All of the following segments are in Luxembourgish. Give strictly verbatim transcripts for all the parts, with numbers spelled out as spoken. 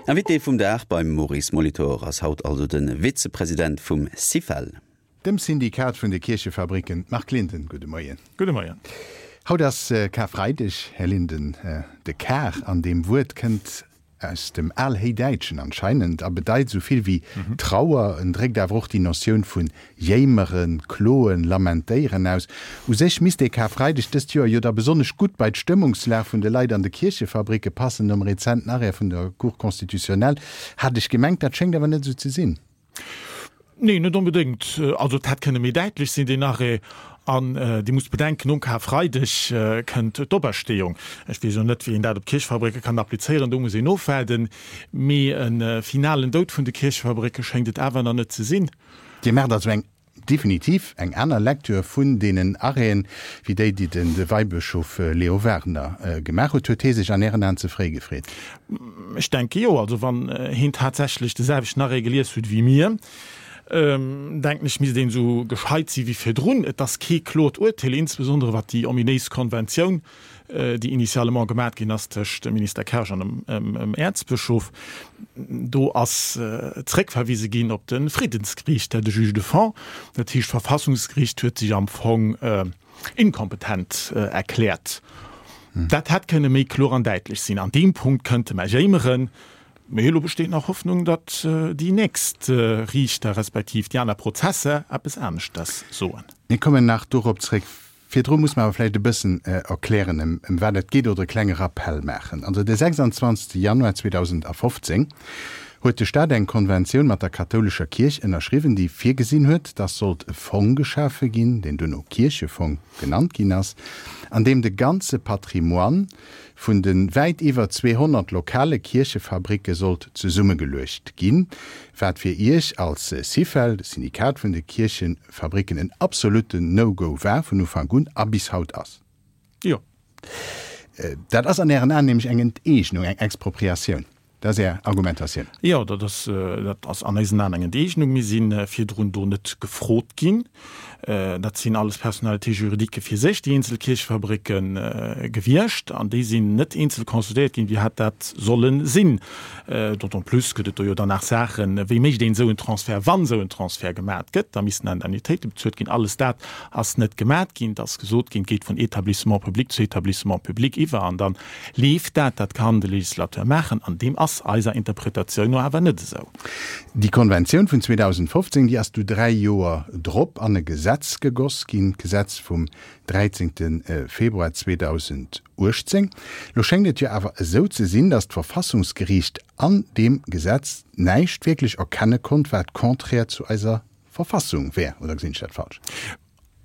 Invité vum Dag beim Maurice Molitor ass haut also de Vizepresident vum Syfel. Dem Syndikat vun de Kierchefabricken. Marc Linden, gudde Moien. Gudde Moien. Haut ass Karfreideg, Här Linden. De Kar an deem Wuert kënnt aus dem Alhéidäitschen anscheinend a bedeit esou vill wéi Trauer. En dréckt awer och déi Notioun vun jéimeren, kloen, lamentéieren aus. U sech misst dee Karfreideg dëst Joer jo da besonnesch gutt bei d'Stëmmungslag vun de Leit an de Kierchefabricke passen, nom rezenten Arrêt vun der Cour constitutionnelle, hat ech gemengt. Dat schéngt awer net esou ze sinn. Nee, net onbedéngt. Also et hätt kënne méi däitlech sinn, deen Arrêt. An Dir musst bedenken, nom Karfreideg kënnt d'Opersteeung. Ech weess elo net, wéi een dat op d'Kierchfabricke kann applizéieren, do muss een ofwaarden. Mee e finalen Doud vun de Kierchfabricke schéngt et awer nach net ze sinn. Dir maacht also eng definitiv eng aner Lecture vun deenen Arrêten, wéi déi, déi den Weibëschof Leo Wagener gemaach huet. Huet hee sech an Ären Aen ze fréi gefreet? Ech denke jo. Also wann heen tatsächlech de selwechten Arrêt gelies huet wéi mir, denken ech, misst een esou gescheit si wéi virdrun. Et ass kee klort Urteel, insbesondere wat déi ominéis Konventioun, déi initialement gemat ginn ass tëscht dem Minister Kersch an dem Äerzbëschof, do ass zréckverwise ginn op de Friddensgeriicht, de Juge de fond. Dat heescht, d'Verfassungsgeriicht huet sech am Fong inkompetent erkläert. Dat hätt kënne méi kloer an däitlech sinn. An deem Punkt kënnte mer jéimeren. Mee elo besteet nach Hoffnung, datt déi nächst Riichter respektiv déi aner Prozesser eppes aneschters soen. Mir kommen nach dorop zréck. Virdru muss mer awer vläicht e bëssen erklären, ëm wat et geet, oder e klenge Rappell maachen. Also de sechsanzwanzegste Januar zweedausendafofzéng huet de Stat eng Konventioun mat der kathoulescher Kierch ënnerschriwwen, déi virgesinn huet, dass sollt e Fong geschafe ginn, deen duerno Kierchefong genannt ginn ass, an deem de ganze Patrimoine vun de wäit iwwer zweehonnert lokale Kierchefabricke sollt zesummegeluecht ginn, wat fir Iech als Syfel, de Syndikat vun de Kierchefabricken, en absolutten No-Go war vun Ufank un a bis haut ass. Jo. Dat ass an Ären Aen nämlech eng Enteegnung, eng Expropriatioun. Dat ass Är Argumentatioun. Jo, dat ass, dat ass an eisen Aen eng Enteegnung. Mir si virdrun do net gefrot ginn. Dat sinn alles Personnalités juridiques fir sech, déi eenzel Kierchefabricke gewiescht, an déi sinn net eenzel consultéiert ginn, wéi hätt dat solle sinn. D'autant plus gëtt et do jo dann nach Saachen, wéi mécht een esou en Transfert, wann esou en Transfert gemat gëtt, da missten Indemnitéite bezuelt ginn. Alles dat ass net gemat ginn. Et ass gesot ginn, et geet vun Établissement public zu Établissement public iwwer an da leeft dat. Dat kann de Législateur maachen an deem ass eiser Interpretatioun no awer net esou. Déi Konventioun vun zweedausendfofzéng, déi ass du dräi Joer drop an e Gesetz gegoss ginn, d'Gesetz vum dräizéngte Februar zweedausenduechtzéng. Lo schéngt et jo awer esou ze sinn, datt d'Verfassungsgeriicht an deem Gesetz näischt wierklech erkenne konnt, wat contraire zu eiser Verfassung wär. Oder gesinn ech dat falsch?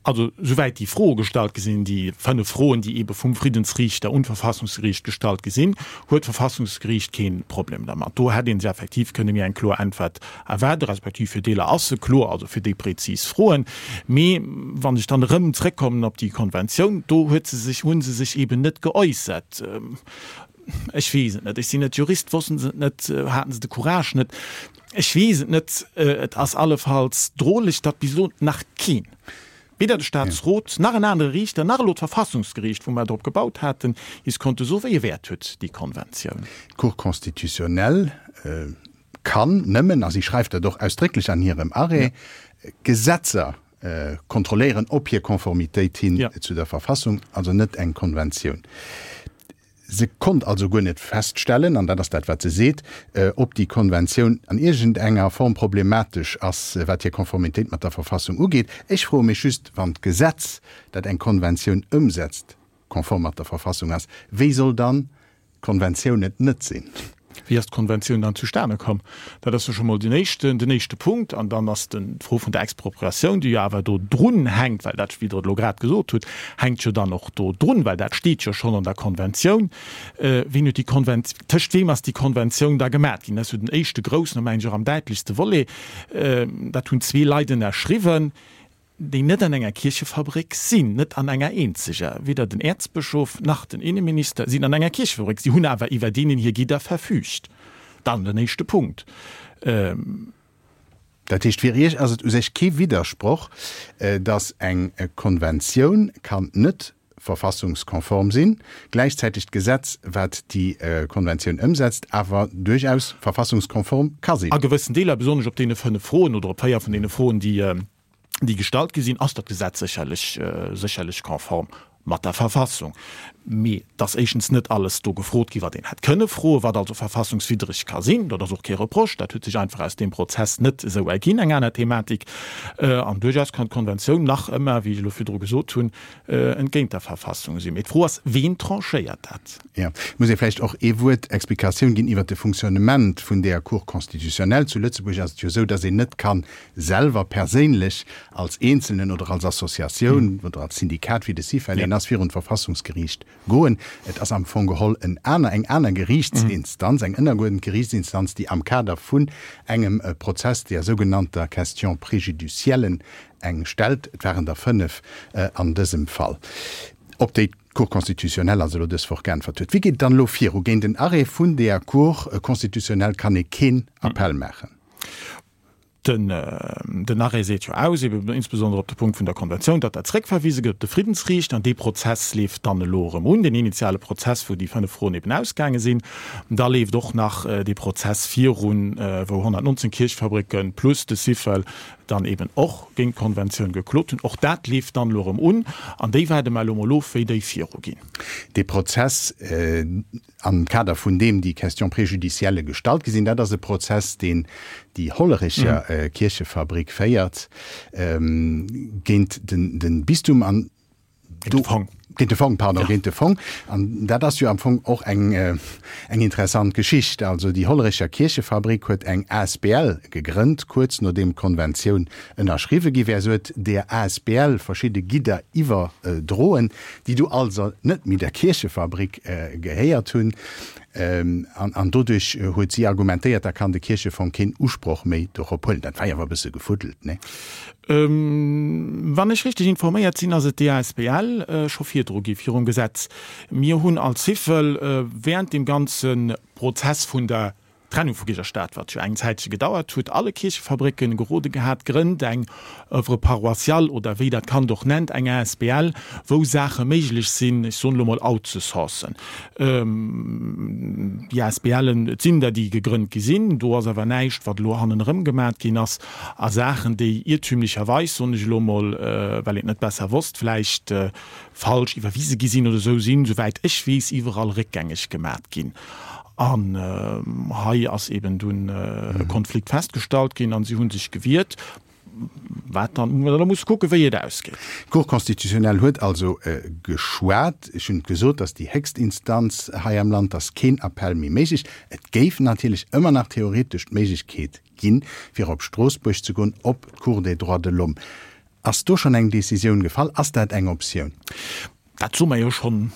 Also, souwäit déi Froe gestallt gi sinn, déi fënnef Froen, déi eebe vum Friddensriichter un d'Verfassungsgeriicht gestallt gi sinn, huet d'Verfassungsgeriicht kee Problem dermat. Do hätt ee sech effektiv kënne méi eng kloer Äntwert erwaarden, respektiv fir Deeler ass se kloer, also fir déi prezis Froen. Mee wann ech dann erëm zréckkommen op déi Konventioun, do huet se sech, hu se sech eeben net geäussert. Ech weess et net, ech sinn net Jurist, wossten se et net, haten se de Courage net, ech weess et net. Et ass allefalls droleg, datt bis elo nach keen, weder de Staatsrot nach en anere Riichter nach elo d'Verfassungsgeriicht, wou mer drop gebaut haten, is konnte soen, wéi e Wäert huet déi Konventioun. D'Cour constitutionnelle kann nëmmen, a si schreift dat och ausdrécklech an hirem Arrêt, Gesetzer kontrolléieren op hir Konformitéit hin zu der Verfassung, also net eng Konventioun. Se konnt also guer net feststellen, an dat ass dat, wat se seet, ob déi Konventioun an iergendenger Form problematesch ass, wat hir Konformitéit mat der Verfassung ugeet. Ech froe mech just, wann d'Gesetz, dat eng Konventioun ëmsetzt, konform mat der Verfassung ass, wéi soll dann d'Konventioun et net sinn? Wéi ass d'Konventioun dann zustane komm? Dat ass jo scho mol den éischten, den éischte Punkt. An dann ass den, d'Fro vun der Expropriatioun, déi jo awer do drun hänkt, well dat, wéi Der et elo grad gesot hutt, hänkt jo dann och do drun, well dat steet jo schonn an der Konventioun. Wien huet déi Konvent, tëscht weem ass déi Konventioun da gemat ginn? Dat ass jo den éischte groussen a mengen ech och am däitlechste Volet. Dat hunn zwee Leit ënnerschriwwen. déi net an enger Kierchefabrik sinn, net an enger eenzeger, weder den Äerzbëschof nach den Inneminister sinn an enger Kierchefabrik, si hunn awer iwwer deenen hir Gidder verfügt. Dann den éischte Punkt. Dat heescht, fir Iech ass et u sech kee Widdersproch, datt eng Konventioun kann net verfassungskonform sinn, gläichzäiteg d'Gesetz, wat déi Konventioun ëmsetzt, awer duerchaus verfassungskonform ka sinn. A gewëssen Deeler, besonnesch op deene fënnef Froen oder op véier vun deene Froen, déi, déi gestallt gi sinn, ass dat Gesetz sécherlech, sécherlech konform mat der Verfassung. Mee et ass éischtens net alles do gefrot gi wat een hätt kënne froen, wat also verfassungswiddreg ka sinn. Dat ass och kee Reproche, dat huet sech einfach aus deem Prozess net esou erginn, eng aner Thematik. An duerchaus kann d'Konventioun nach ëmmer, wéi ech elo virdru gesot hunn, entgéint der Verfassung sinn. Mee d'Fro ass, Ween tranchéiert dat? Jo, et muss ee vläicht och ee Wuert Explikatioun ginn iwwert de Fonctionnement vun där Cour constitutionnelle. Zu Lëtzebuerg ass et jo esou, datt een net ka selwer perséinlech als Eenzelnen oder als Associatioun oder als Syndikat, wéi de Syfel een ass, virun d'Verfassungsgeriicht goen. Et ass am Fong geholl en aner, eng aner Geriichtsinstanz, eng ënnergeuerdent Geriichtsinstanz, déi am Kader vun engem Prozess, der sougenannter Question préjudicielle, eng stellt. Et waren der fënnef an dësem Fall, op déi d'Cour constitutionnelle also elo dës Woch geäntwert huet. Wéi geet et dann elo viru? Géint en Arrêt vun der Cour constitutionnelle kann ee keen Appell maachen. Den Arrêt seet jo aus, eben insbesondere op de Punkt vun der Konventioun, datt dat zréckverwise gëtt op de Friddensriichter. An dee Prozess leeft dann elo erëm un, deen initiale Prozess, wou déi fënnef Froen eben ausgaange sinn. Da leeft och nach dee Prozess virun, wou honnertnonzéng Kierchfabricken plus de Syfel dann eben och géint d'Konventioun geklot hunn. Och dat leeft dann elo erëm un. An déi waarde mer elo mol of, wéi déi viruginn. Dee Prozess, am Kader vun deem déi Questions préjudicielles gestallt gi sinn, dat ass e Prozess, deen déi Hollerecher Kierchefabrik féiert géint de Bistum an do, Géint de Fong. Géint de Fong, pardon, géint de Fong. An dat ass jo am Fong och eng, eng interessant Geschicht. Also déi Hollerecher Kierchefabrik huet eng asbl gegrënnt, kuerz nodeem d'Konventioun ënnerschriwwe gi wär. Se huet där asbl verschidde Gidder iwwerdroen, déi du also net méi der Kierchefabrik gehéiert hunn. An doduerch huet si argumentéiert, da kann de Kierchefong keen Usproch méi dorop huelen. Dat war jo awer e bësse gefuddelt, nee? Wann ech richteg informéiert sinn, ass et déi asbl scho virdru gi virum Gesetz. Mir hunn als Syfel während deem ganze Prozess vun der Trennung vu Kierch a Staat, wat jo eng Zäitche gedauert huet, alle Kierchefabrécken gerode gehat, Grënnt eng Oeuvre paroissiale oder wéi dat Kand och nennt, eng asbl, wou Saache méiglech sinn, ech soen elo mol outzesourcen. Déi asbl'en, et sinn der, déi gegrënnt gi sinn, do ass awer näischt, wat elo hannenerëm gemat ginn ass a Saachen, déi iertümlecherweis, soen ech elo mol, well een et net besser wosst, vläicht falsch iwwerwise gi sinn oder esou, sinn, souwäit ech weess, iwwerall réckgängeg gemat ginn. An hei ass eben dunn e Konflikt festgestallt ginn an si hu sech gewiert, wat dann, wou mer dann musse kucken, wéi et ausgeet. D'Cour constitutionnelle huet also geschwat. Ech hunn et gesot, dass déi héchst Instanz hei am Land, dass keen Appell méi méiglech. Et géif natierlech ëmmer nach theoretesch d'Méiglechkeet ginn, fir op Stroossbuerg ze goen, op d'Cour des droits de l'homme. Ass do schonn eng Décisioun gefall? Ass dat eng Optioun? Dat soe mer jo schonn,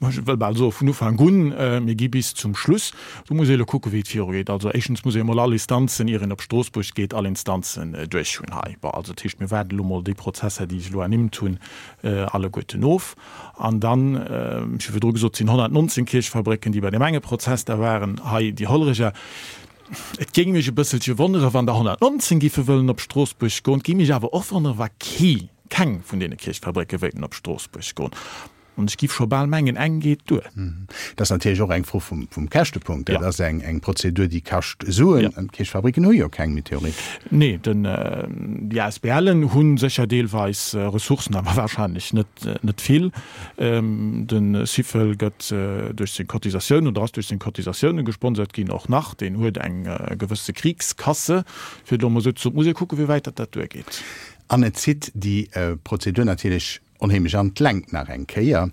ech wëll bal soe vun Ufank un, mir gi bis zum Schluss. Do muss ee elo kucken, wéi et virugeet. Also éischtens muss ee emol all Instanzen, ier een op Stroossbuerg geet, all Instanzen duerch hunn hei. Bon, also dat heescht, mir waarden elo mol déi Prozesser, déi ech elo ernimmt hunn, alleguerten of. An dann, ech hu virdru gesot, et sinn honnertnonzéng Kierchfabrécken, déi bei deem enge Prozess da waren, hei déi Hollerecher. Et géing mech e bësselche wonnere wann der honnertnonzéng giffe wëllen op Stroossbuerg goen. Et géing mech awer och wonnere wa kee, keng vun deene Kierchfabrécke wéilten op Stroossbuerg goen. An ech giff scho bal mengen, eng geet duer. Dat ass natierlech och eng Fro vum Käschtepunkt. Dat ass eng Prozedur, déi kascht Suen. An d'Kierchfabricken hu jo keng méi, theoretesch. Nee, den, déi ASBLen hu sécher deelweis Ressourcen, awer wahrscheinlech net, net vill. De Syfel gëtt duerch seng Cotisatiounen oder ass duerch seng Cotisatiounen gesponsert ginn, och nach. Deen huet eng gewësse Kriegskasse, fir et elo emol esou ze soen. Et muss ee kucken, wéi wäit datt dat duergeet. An et zitt déi Prozedur natierlech onheemlech an d'Längt nach eng Kéier,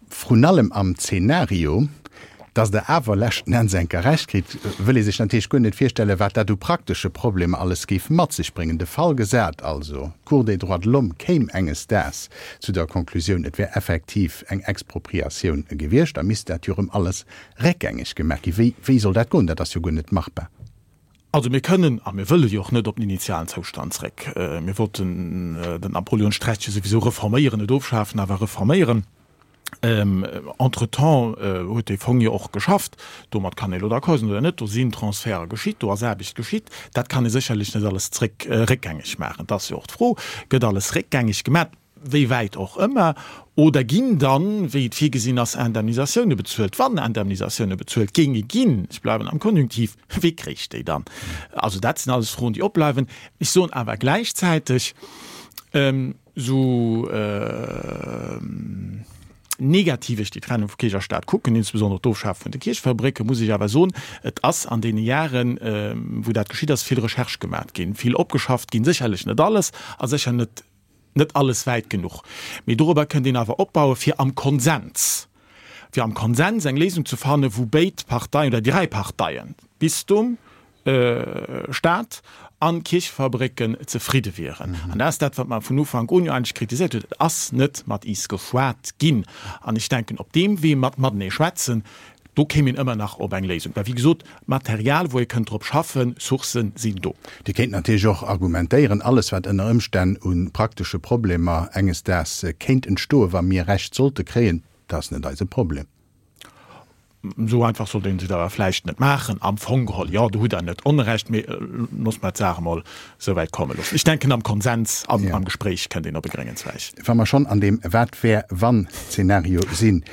vrun allem am Zeenario, dass Der awer leschten Enns enker Recht kritt, wëll ee sech natierlech guer net virstellen, wat dat u praktesche Problemer alles géif mat sech bréngen. De Fall gesat also, d'Cour des droits de l'homme kéim enges Daags zu der Konklusioun, et wär effektiv eng Expropriatioun gewiescht, da misst dat jo erëm alles réckgängeg gemaach ginn. Wéi, wéi soll dat goen? Dat ass jo guer net machbar. Also mir kënnen a mir wëlle jo och net op den initialen Zoustand zréck. Mir wollten den Napoleonstrecht jo souwisou reforméieren, net ofschafen, awer reforméieren. Entretemps huet dee Fong jo och geschafft. Domat kann ee elo d'accord sinn oder net. Do sinn Transferte geschitt, do ass Aarbecht geschitt. Dat kann ee sécherlech net alles zréck réckgängeg maachen. Et ass jo och d'Fro, Gëtt alles réckgängeg gemaach? wéi wäit och ëmmer, oder ginn dann, wéi et virgesinn ass, Indemnisatioune bezuelt? Wann Indemnisatioune bezuelt géinge ginn, ech bleiwen am Konjunktiv, wie kréich déi dann? Also dat sinn alles Froen, déi opbleiwen. Ech soen awer gläichzäiteg, esou negativ ech déi Trennung vu Kierch a Staat kucken, insbesondere d'Ofschafe vun de Kierchefabrécken, muss ech awer soen, et ass an deene Jaren, wou dat geschitt ass, vill Recherche gemat ginn, vill opgeschafft ginn, sécherlech net alles a sécher net net alles wäit genuch, mee dorobber kënnt een awer opbauen, fir am Konsens, fir am Konsens eng Léisung ze fannen, wou béid Parteien oder déi dräi Parteien, Bistum, Staat an Kierchefabrécken, zefridde wieren. An dat ass dat, wat mer vun Ufank un jo eigentlech kritiséiert hunn, Et ass net mat is geschwat ginn. An ech denken, op deem Wee mat matenee schwätzen, Do kéim een ëmmer nach op eng Léisung. Well wéi gesot, Material, wou ee kënnt drop schaffen, Sourcen sinn do. Dir kéint natierlech och argumentéieren, alles wat ënner Ëmstänn u praktesche Problemer enges Daags kéint entstoen, wa mir Recht sollte kréien, dat ass net eise Problem. Esou einfach sollt een et awer vläicht net maachen. Am Fong geholl, jo, do hutt Der net Onrecht, mee loosse mer d'Saach emol esou wäit komme loossen. Ech denken, am Konsens an am Gespréich kënnt een op e gréngen Zweig. Wa mer schonn an deem Wat-wär-wann-Zeenario sinn,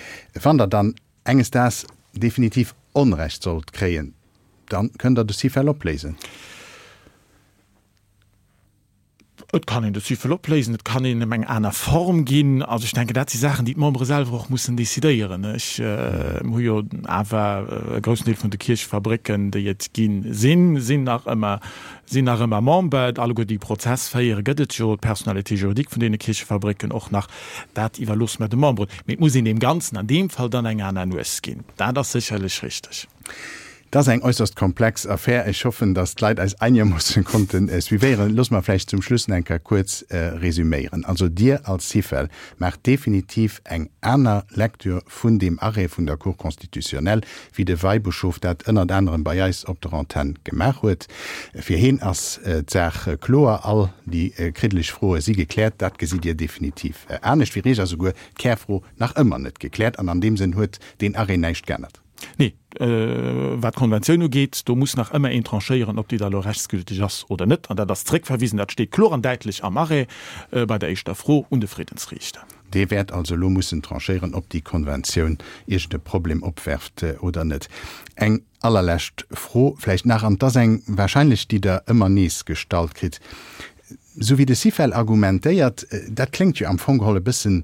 wann Der dann enges Daags definitiv Onrecht sollt kréien, dann kënnt Der de Syfel opléisen. Et kann een de Syfel opléisen, et kann een em eng aner Form ginn. Also ech denken, dat si Saachen, déi d'Membere selwer och mussen decidéieren. Ech hu jo awer e groussen Deel vun de Kierchefabrécken, déi et ginn, sinn, sinn nach ëmmer, sinn nach ëmmer Member. Alleguer déi Prozess féieren, gëtt et jo d'Personnalité juridique vun deene Kierchefabrécken och nach. Dat iwwerloosse mer de Memberen. Mee et muss een deem Ganzen an deem Fall dann eng aner Nues ginn. Dat ass sécherlech richteg. Et ass eng äusserst komplex Affär. Ech hoffen, datt d'Leit eis einermoossen konnten suivéieren. Loosse mer vläicht zum Schluss nach eng Kéier kuerz resüméieren. Also Dir als Syfel maacht definitiv eng aner Lecture vun deem Arrêt vun der Cour constitutionnelle, wéi de Weibëschof dat ënnert anerem bei eis op der Antenn gemaach huet. Fir heen ass d'Saach kloer, all déi kriddeleg Froe si gekläert. Dat gesitt Dir definitiv anescht. Fir Iech ass esouguer d'Kärfro nach ëmmer net gekläert an an deem Sënn huet deen Arrêt näischt geännert. Nee, wat d'Konventioun ugeet, do muss nach ëmmer een tranchéieren, ob déi da elo rechtsgülteg ass oder net. An dat ass zréckverwisen, dat steet kloer an däitlech am Arrêt bei der éischter Fro un de Friddensriichter. Dee wäert also elo mussen tranchéieren, ob déi Konventioun iergend e Problem opwerft oder net. Eng allerlescht Fro vläicht nach, an 't ass eng wahrscheinlech, déi Der ëmmer nees gestallt kritt, Esou wéi de Syfel argumentéiert, dat kléngt jo am Fong geholl e bëssen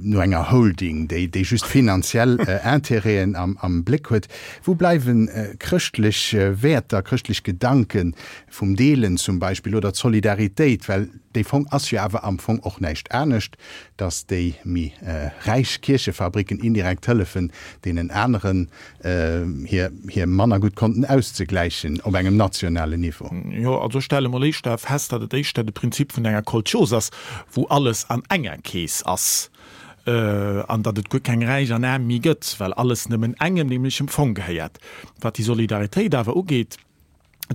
no enger Holding, déi déi just finanziell Intérêten am am Bléck huet. Wou bleiwen chrëschtlech Wäerter, chrëschtlech Gedanken vum Deelen zum Beispill oder d'Solidaritéit? Well dee Fong ass jo awer am Fong och näischt anescht, datt déi méi räich Kierchefabricken indirekt hëllefen deenen aneren, hir hir manner gutt Konten auszegläichen op engem nationalen Niveau. Jo, also ech stelle mol éischter fest, datt et éischter de Prinzip vun enger Kolchos ass, wou alles an enger Keess ass, an datt et guer keng Räich an Aarm méi gëtt, well alles nëmmen engem, nämlech dem Fong gehéiert. Wat déi Solidaritéit awer ugeet,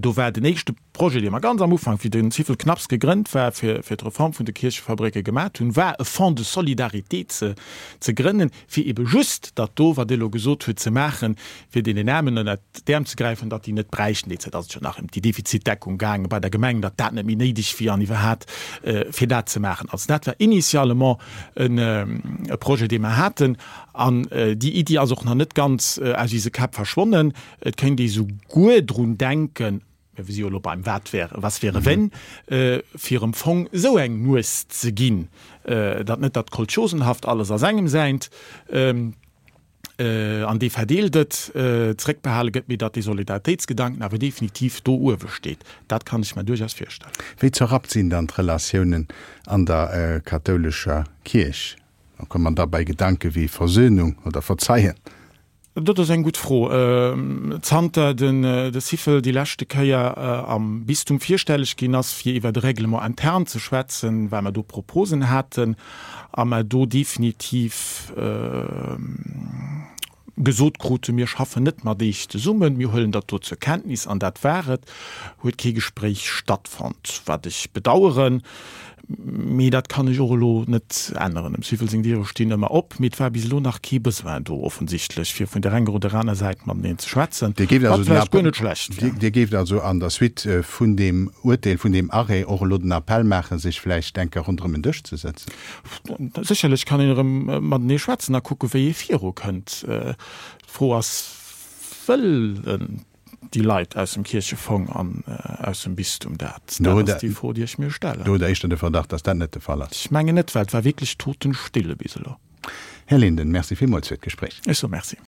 do war den éischte Projet, dee mer ganz am Ufank, wéi den Syfel knapps gegrënnt war, fir fir d'Reform vun de Kierchefabrécke gemat hunn, war e Fonds de solidarité ze ze grënnen, fir ebe just dat do, wat Dir elo gesot hutt, ze maachen, fir deenen Aarmen ënnert d'Äerm ze gräifen, datt déi net bräichten, déi Zäit ass et jo nach ëm déi Defizitdeckung gaange bei der Gemeng, datt dat net méi néideg wier an iwwerhat, fir dat ze maachen. Also dat war initialement en e Projet, dee mer haten. An déi Iddi ass och nach net ganz aus eise Käpp verschwonnen. Et kéint ee souguer drun denken, mä mir si jo elo beim Wat wäre, was wäre wenn, fir em Fong esou eng Nues ze ginn, datt net dat kolchosenhaft alles ass engem säint an dee verdeelt et, zréckbehale gëtt, mee datt dee Solidaritéitsgedanken awer definitiv do uewe steet. Dat kann ech mer duerchaus virstellen. Wéi zerrappt sinn dann d'Relatiounen an der kathoulescher Kierch? Da komme mer da bei Gedanke wéi Versöhnung oder Verzeien. Dat ass eng gutt Fro. Zanter den de Syfel déi leschte Kéier am Bistum virstelleg ginn ass, fir iwwer de Règlement interne ze schwätzen, well mer do Proposen haten a mer do definitiv gesot kruten, mir schaffen net mat Iech zesummen, mir huelen dat do zur Kenntnis an dat war et, huet kee Gespréich stattfonnt, wat ech bedauern. Mee dat kann ech och elo net änneren. Dem Syfel seng Diere stinn ëmmer op, mee et war bis elo nach kee Besoin do offensichtlech, fir vun där enger oder aner Säit mateneen ze schwätzen, Dir géift wat also den vläicht guer Appel, net schlecht wär. Dir géift also an der Suite vun deem Urteel, vun deem Arrêt och elo den Appell maachen, sech vläicht eng Kéier ronderëm en Dësch ze sëtzen? Sécherlech kann een erëm matenee schwätzen a kucken, wéi ee virukënnt. D'Fro ass, Wëllen déi Leit aus dem Kierchefong an aus dem Bistum dat? Dat ass déi Fro, déi ech mir stellen. Do hutt Der éischter de Verdacht, dass dat net de Fall ass. Ech mengen net, well et war wierklech totenstille bis elo. Här Linden, Merci villmools fir d'Gespréich. Ech soe Merci.